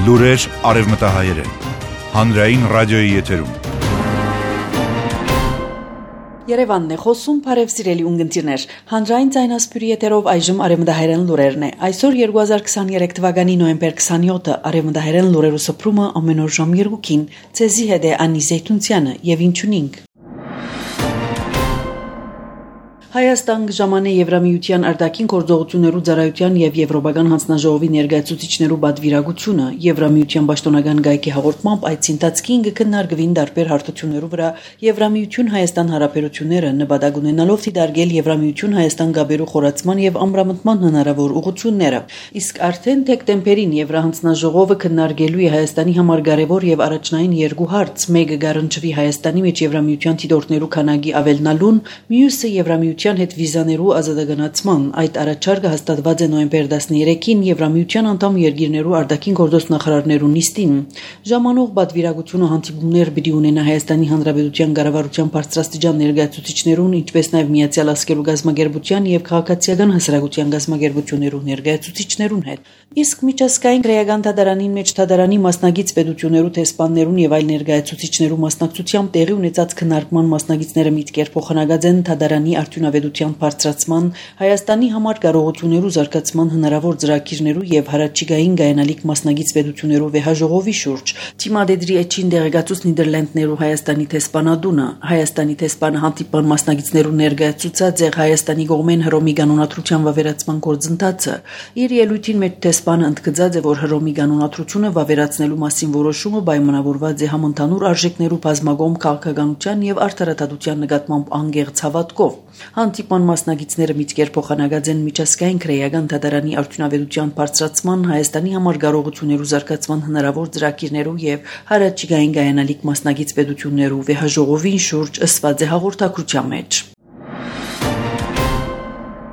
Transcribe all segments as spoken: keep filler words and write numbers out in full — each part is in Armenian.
Լուրեր արևմտահայերեն, հանրային ռադիոյի եթերում։ Երևանն է խոսում, բարև սիրելի ունգընտիրներ, հանրային ձայնասպյուրի եթերով այժմ արևմտահայերեն լուրերն է։ Այսօր երկու հազար քսաներեք թվականի նոյեմբեր քսանյոթը արևմտահայերեն լուրերու սփռումը ամեն օր ժամ երկուքին, ցեզի հետ է Անի Զեյթունցյանը եւ ինչունինք։ Հայաստան ժամանե Եվրամիության արտաքին գործողություններու ծառայության եւ Եվրոպական հանձնաժողովի ներկայացուցիչներու բادվիրագությունը Եվրամիության պաշտոնական գայքի հաղորդմամբ այդ ցինտածքին կքննարկվին դարբեր հարթություններու վրա Եվրամիություն Հայաստան հարաբերությունները նպատակ ունենալով դիտարկել Եվրամիություն Հայաստան գաբերու խորացման եւ ամրամտման հնարավոր ուղղությունները։ Իսկ արդեն դեկտեմբերին Եվրահանձնաժողովը քննարկելու է Հայաստանի համար կարևոր եւ առաջնային երկու հարց՝ մեկը գարնչվի Հայաստանի մեջ Եվրամիության դիտորդներու քանակի ավելնալուն, մյուսը Եվրամիության հետ վիզաներու ազատագնացման։ Այդ առաջարկը հաստատված է նոյեմբեր տասներեքին Եվրամիության անդամ երկիրներու արտաքին գործոս նախարարներու նիստին։ Ժամանող բادվիրագությունը հանդիպումներ պիտի ունենա Հայաստանի Հանրապետության կառավարության բարձրաստիճան ներկայացուցիչներուն, ինչպես նաև Միացյալ Ասկերու գազագերբության եւ քաղաքացիական հասարակության գազագերբություններու ներկայացուցիչներուն հետ։ Իսկ միջազգային քրեական դատարանին մեջ դատարանի մասնագիտ պետություններու տեսփաններուն եւ այլ ներկայացուցիչներու մասնակցությամբ տեղի ունեցած քննարկման մասնագետները միտքեր փոխանակած են դատարանի արդյունավետության բարձրացման, Հայաստանի համար կարողություններու զարգացման հնարավոր ծրագիրներու եւ հարաճիգային գայանալիք մասնագիտ պետություններու վեհաժողովի շուրջ։ Թիմադեդրի էջին դեղեկացուց Նիդերլանդներու Հայաստանի տեսփանադունը, Հայաստանի տեսփանը հանդիպան մասնագետներու ներկայացուցած է Հայաստանի կողմեն Հռոմի կանոնադրության վավերացման գործընթացը։ Իր ելույթին մեջ տեսփանը ընդգծած է, որ Հռոմի կանոնադրությունը վավերացնելու մասին որոշումը պայմանավորված է համընդհանուր արժեքներու բազմագոմ քաղաքականության եւ արդարադատության նկատմամբ անգեղծ հավատքով։ Հանդիպան մասնագետները միտքեր փոխանակած են միջազգային քրեական դատարանի արդյունավետության բարձրացման, Հայաստանի համար կարողություններու զարգացման հնարավոր ծրագիրներու եւ հարաճիգային գայանալիք մասնագետ պետություններու վեհաժողովին շուրջ ըսված է հաղորդակցության մեջ։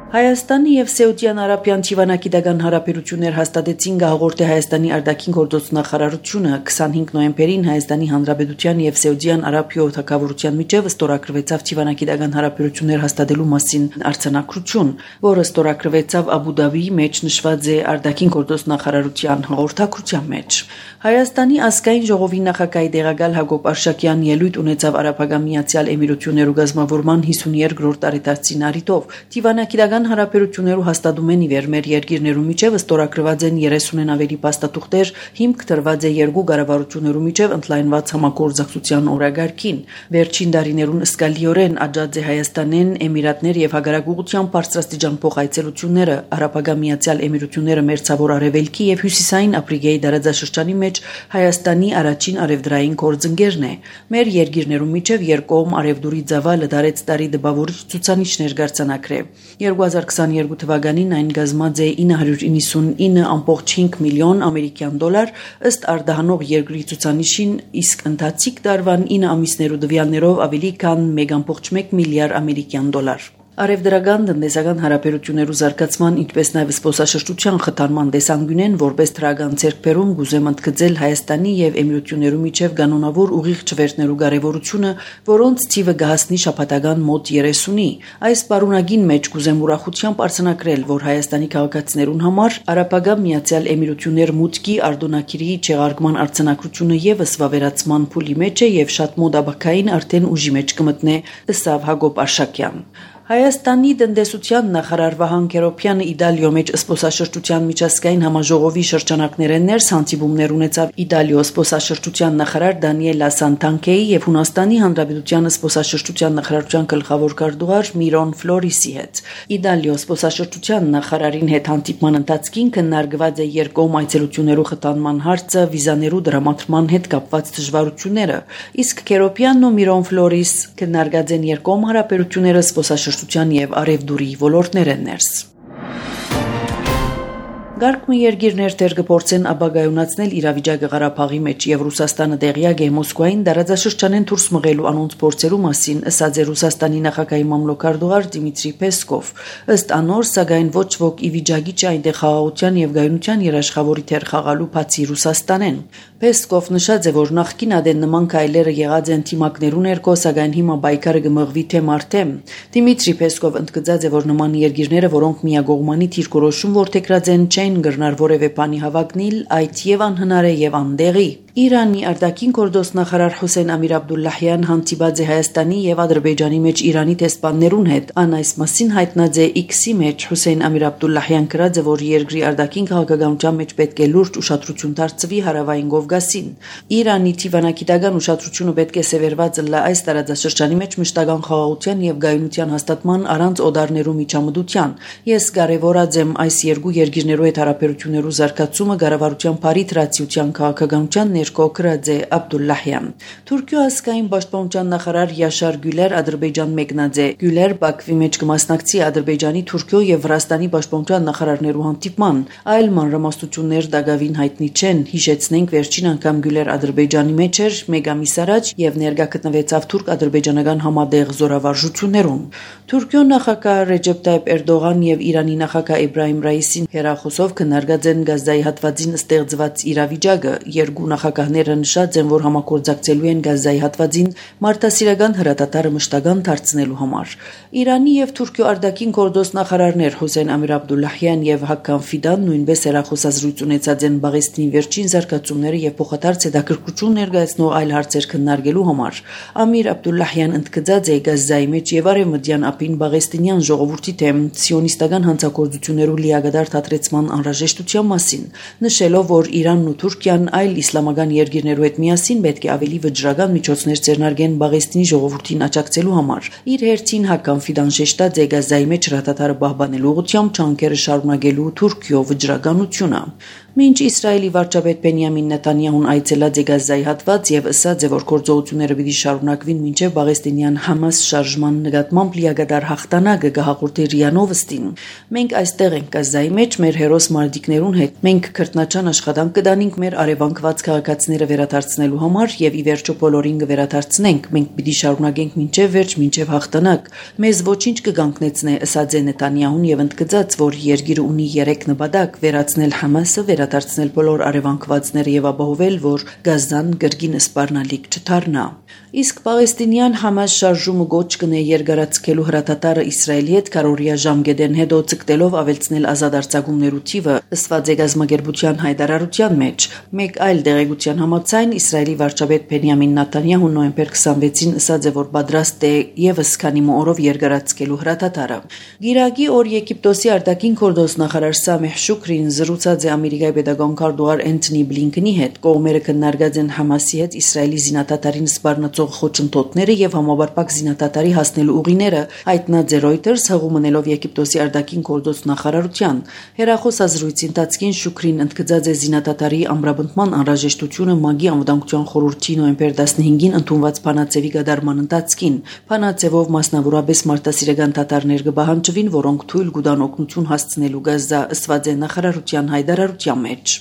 Հայաստանի եւ Սաուդյան Արաբիան Թիվանագիտական հարաբերություններ հաստատեցին գահորտե Հայաստանի արտաքին գործոս նախարարությունը քսանհինգ նոյեմբերին Հայաստանի Հանրապետության եւ Սաուդյան Արաբիա թագավորության միջև ստորագրվեցավ Թիվանագիտական հարաբերություններ հաստատելու մասին արձանագրություն, որը ստորագրվեցավ Աբու Դաբիի մեջ նշված է արտաքին գործոս նախարարության հաղորդակցության մեջ։ Հայաստանի ազգային ժողովի նախագահի դեղակալ Հակոբ Արշակյան ելույթ ունեցավ Արաբական Միացյալ Էմիրություններու գազམ-ավորման հիսունյոթերորդ տարեդարձին առիթով Թիվանագիտական հարաբերություններու հաստատումեն ի վեր մեր երկիրներու միջև ստորագրված են երեսունն ավելի փաստաթուղթեր, հիմք դրված է երկու կառավարություններու միջև ընդլայնված համագործակցության օրագարկին։ Վերջին տարիներուն ըսկալիորեն աճած է Հայաստանեն Էմիրատներ եւ հագարակուղության բարձրաստիճան փոխայցելությունները, Արաբական Միացյալ Էմիրությունները մերձավոր արևելքի եւ հյուսիսային Աֆրիկայի տարածաշրջանի մեջ Հայաստանի առաջին արևդրային գործընկերն է։ Մեր երկիրներու միջև երկկողմ արևդուրի ծավալը դարեց տարի դպավորիչ ցուցանիշներ գարցանակրե։ երկու հազար քսաներկու թվականին այն կազմած է ինը հարյուր իննսունինը ամբողջ հինգ միլիոն ամերիկյան դոլար ըստ արտահանող երկրի ցուցանիշին, իսկ ընթացիկ տարվան ինը ամիսներու տվյալներով ավելի քան մեկ ամբողջ մեկ միլիարդ ամերիկյան դոլար։ Արևդրական տնտեսական հարաբերություններու զարգացման, ինչպես նաև զբոսաշրջության խթանման տեսանկյունեն որպես դրական ձեռքբերում գուզեմ ընդգծել Հայաստանի եւ Էմիրություններու միջև կանոնավոր ուղիղ չվերթներու կարեւորությունը, որոնց թիվը կհասնի շաբաթական մոտ երեսունի։ Այս պարունակին մեջ գուզեմ ուրախությամբ արձանագրել, որ Հայաստանի քաղաքացիներուն համար Արաբական Միացյալ Էմիրություններ մուտքի արտոնակիրի չեղարկման արձանագրությունը եւս վավերացման փուլի մեջ է եւ շատ մոտ ապակային արդեն ուժի մեջ կմտնե, ըստ Հակոբ Արշակյան։ Հայաստանի տնտեսության նախարար Վահան Քերոբյանը Իտալիո մեջ զբոսաշրջության միջազգային համաժողովի շրջանակներեն ներս հանդիպումներ ունեցավ Իտալիո զբոսաշրջության նախարար Դանիելա Սանտանկեի եւ Հունաստանի Հանրապետության զբոսաշրջության նախարարության գլխավոր քարտուղար Միրոն Ֆլորիսի հետ։ Իտալիո զբոսաշրջության նախարարին հետ հանդիպման ընթացքին քննարկված է երկկողմ այցելություններու խթանման հարցը, վիզաներու դրամատրման հետ կապված դժվարությունները, իսկ Քերոբյանն ու Միրոն Ֆլորիս քննարկած են երկկողմ հարաբերությունները զբոսաշրջության եւ արևդուրի ոլորտներեն ներս։ Գարկմը երկիրներ դեր կփորձեն ապագայունացնել իրավիճակը Ղարաբաղի մեջ եւ Ռուսաստանը տեղյակ է Մոսկվային դարաձաշրջանեն դուրս մղելու անոնց փորձերու մասին, ըսած է Ռուսաստանի նախագահի մամլոքարտուղար Դիմիտրի Պեսկով։ Ըստ անոր, սակայն ոչ ոք ի վիճակի չէ այնտեղ խաղաղության եւ գայունության երաշխավորի թեր խաղալու բացի Ռուսաստանեն։ Պեսկով նշած է, որ նախկին ադեն նման քայլերը եղած են թիմակներու ներքո, սակայն հիմա բայկարը գմղվի թե մարդե։ Դիմիտրի Պեսկով ընդգծած է, որ նման երկիրները, որոնք միագողմանի թիրքորոշում որդեգրած են, չեն գրնար որևէ բանի հավակնիլ, այդ եւ անհնար է եւ անդեղի։ Իրանի արտաքին գործոստ նախարար Հուսեյն Ամիր Աբդուլլահյան հանդիպած է Հայաստանի եւ Ադրբեջանի մեջ Իրանի տեսփաններուն հետ։ Ան այս մասին հայտնած է X-ի մեջ Հուսեյն Ամիր Աբդուլլահյան գրած է, որ երկրի արտաքին քաղաքականության մեջ պետք է լուրջ ուշադրություն դարձվի հարավային Կովկասին։ Իրանի թիվանագիտական ուշադրությունը պետք է սևեռված լա այս տարածաշրջանի մեջ մշտական խաղաղության եւ գայունության հաստատման առանց օդարներու միջամտության։ Ես կարևորած եմ այս երկու երկիրներու հետ հարաբերություններու զարգացումը կառավարության բարիտրացիության քաղաքականության Կոկրաձե Աբդուլլահյան։ Թուրքիո ազգային պաշտպանության նախարար Յաշար Գյուլեր Ադրբեջան մեկնած է։ Գյուլեր Բաքվի մեջ կմասնակցի Ադրբեջանի, Թուրքիո եւ Վրաստանի պաշտպանության նախարարներու հանդիպման, այլ մանրամասնություններ դակավին հայտնի չեն։ Հիշեցնենք, վերջին անգամ Գյուլեր Ադրբեջանի մեջ էր մեկ ամիս առաջ եւ ներկա գտնվեցավ թուրք-ադրբեջանական համատեղ զորավարժություններուն։ Թուրքիո նախագահ Ռեջեփ Տայիփ Էրդողան եւ Իրանի նախագահ Իբրահիմ Ռայիսին հերախոսով քննարկած են Գազայի հատվածին ստեղծված իրավիճակը։ Երկու նախագահները նշած են, որ համագործակցելու են Գազայի հատվածին մարդասիրական հրատատարը մշտական դարձնելու համար։ Իրանի եւ Թուրքիո արտաքին գործոստ նախարարներ Հուսեյն Ամիր Աբդուլլահյան եւ Հական Ֆիդան նույնպես հերախոսազրույց ունեցած են Բաղեստինի վերջին զարգացումները եւ փոխադարձ հետաքրքրություն ներկայացնող այլ հարցեր քննարկելու համար։ Ամիր Աբդուլլահյան ընդգծած է Գազայի մեջ եւ արևմտյան ափին Բաղեստինյան ժողովրդի դեմ սիոնիստական հանցագործություններու լիագադար թատրեցման անհրաժեշտության մասին, նշելով, որ Իրանն ու Թուրքիան այլ իսլամական երկիրներու հետ միասին պետք է ավելի վճռական միջոցներ ձեռնարկեն Բաղեստինի ժողովրդին աջակցելու համար։ Իր հերթին Հական Ֆիդան շեշտած է Գազայի մեջ հրատատարը պահպանելու ուղղությամբ ջանքերը շարունակելու Թուրքիո վճռականությունը։ Մինչ Իսրայելի վարչապետ Բենյամին Նեթանյահուն այցելած է Գազայի հատված եւ ըսած է, որ գործողությունները պիտի շարունակվին մինչեւ Բաղեստինյան Համաս շարժման նկատմամբ լիագադար հաղթանակը կհաղորդի ՌԻԱ Նովոստին։ Մենք այստեղ ենք Գազայի մեջ մեր հերոս մարտիկներուն հետ։ Մենք քրտնաճան աշխատանք կդանենք մեր արևանկված քաղաքացիները վերադարձնելու համար եւ ի վերջո բոլորին կվերադարձնենք։ Մենք պիտի շարունակենք մինչեւ վերջ, մինչեւ հաղթանակ։ Մեզ ոչինչ կգանքնեցնե, ըսած է Նեթանյահուն եւ ընդգծած, որ երկիրը ունի երեք նպատակ՝ վերացնել Համասը, վերադարձնել բոլոր արևանկվածները եւ ապահովել, որ Գազան կրկին սպառնալիք չդառնա։ Իսկ Պաղեստինյան Համաս շարժումը գոչ կնե երկարացկելու հրատատարը Իսրայելի հետ քարորիա ժամկետեն հետո ցկտելով ավելցնել ազատ արձակումներու թիվը, ըսված է գազམ་ագերբության հայտարարության մեջ։ Մեկ այլ դեղեցության համաձայն Իսրայելի վարչապետ Բենյամին Նեթանյահուն նոյեմբեր քսանվեցին ըսած է, որ պատրաստ է եւս քանի օրով երկարացկելու հրատատարը։ Գիրակի օր Եգիպտոսի արտաքին գործոստ նախարար Սամեհ Շուքրին զրուցած է Ամերիկայի պետական քարտուղար Էնթոնի Բլինքենի հետ։ Կողմերը քննարկած են Համասի հետ Իսրայելի զինադատարին սպառնացող խոչընդոտները եւ համապարփակ զինադատարի հասնելու ուղիները, հայտնած է Reuters հղումնելով Եգիպտոսի արտաքին գործոստ նախարարության։ Հերախոսազրույցի ընթացքին Շուքրին ընդգծած է զինադատարի ամրապնդման անհրաժեշտությունը ՄԱԳ-ի անվտանգության խորհրդի նոյեմբեր տասնհինգին ընդունված բանաձևի կատարման ընթացքին։ Բանաձևով մասնավորապես մարտահրավերական դատարներ կպահանջվին, որոնք թույլ կտան օգնություն հասցնելու Գազա, ըսված է նախարարության հայտարարության մեջ։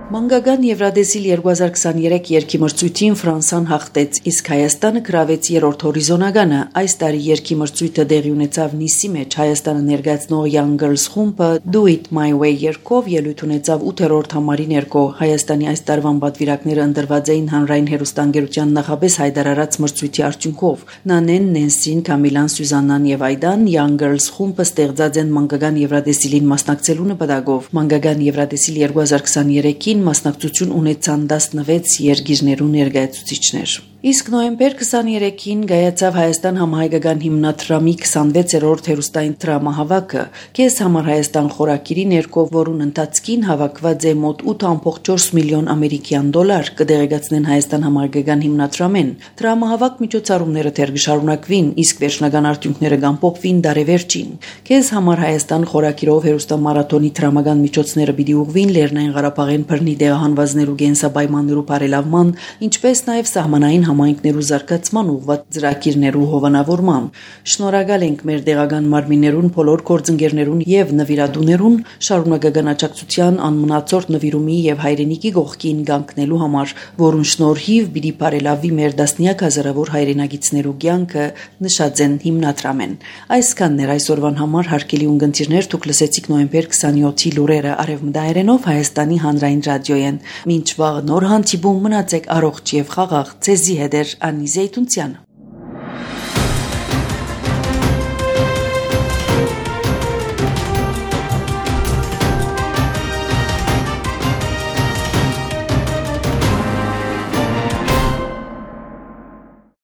Մանկական Եվրադեսիլ երկու հազար քսաներեք երգի մրցույթին Ֆրանսան հաղթեց, իսկ Հայաստանը գրավեց երրորդ հորիզոնականը։ Այս տարի երգի մրցույթը տեղի ունեցավ Նիսի մեջ։ Հայաստանը ներկայացնող Young Girls խումբը Do It My Way երգով ելույթ ունեցավ ութերորդ համարի ներքո։ Հայաստանի այս տարվան պատվիրակները ընտրված էին հանրային հեռուստաընկերության նախապես հայտարարած մրցույթի արդյունքով։ Նանեն, Նենսին, Կամիլան, Սյուզաննան եւ Այդան Young Girls խումբը ստեղծած են Մանկական Եվրադեսիլին մասնակցելու նպատակով։ Մանկական Եվրադեսիլ երկու հազար քսաներեքին մասնակցություն ունեցան տասնվեց երկիրներու ներկայացուցիչներ։ Իսկ նոյեմբեր քսաներեքին գայացավ Հայաստան համահայկական հիմնադրամի քսանվեցերորդ հերուստային դրամահավաքը։ Քեզ համար Հայաստան խորակիրի ներքո, որուն ընթացքին հավաքված է մոտ ութ ամբողջ չորս միլիոն ամերիկյան դոլար, կդեղեկացնեն Հայաստան համահայկական հիմնադրամեն։ Դրամահավաք միջոցառումները դեռ կշարունակվին, իսկ վերջնական արդյունքները կամփոփվին դարեվերջին։ Քեզ համար Հայաստան խորակիրով հերուստամարաթոնի դրամական միջոցները պիտի ուղղվին Լեռնային Ղարաբաղեն բռնի դեղահանվածներու կենսաբայմաններու բարելավման, ինչպես նաև սահմանային համայնքներու զարգացման ուղղված ծրագիրներու հովանավորման։ Շնորհակալ ենք մեր դեղական մարմիններուն, բոլոր գործընկերներուն եւ նվիրատուներուն շարունակական աջակցության, անմնացորդ նվիրումի եւ հայրենիքի կողքին կանգնելու համար, որուն շնորհիվ պիտի բարելավի մեր դասնյակ հազարավոր հայրենագիտներու կյանքը, նշած են հիմնադրամեն։ Այսքանն էր այսօրվան համար, հարգելի ունկնդիրներ, դուք լսեցիք նոյեմբեր քսանյոթի լուրերը արևմտահայերենով Հայաստանի հանրային ռադիոյեն։ Մինչ վաղ նոր հանդիպում մնացեք առողջ եւ խաղաղ։ Ձեզի հետ է Անի Զեյթունցյանը։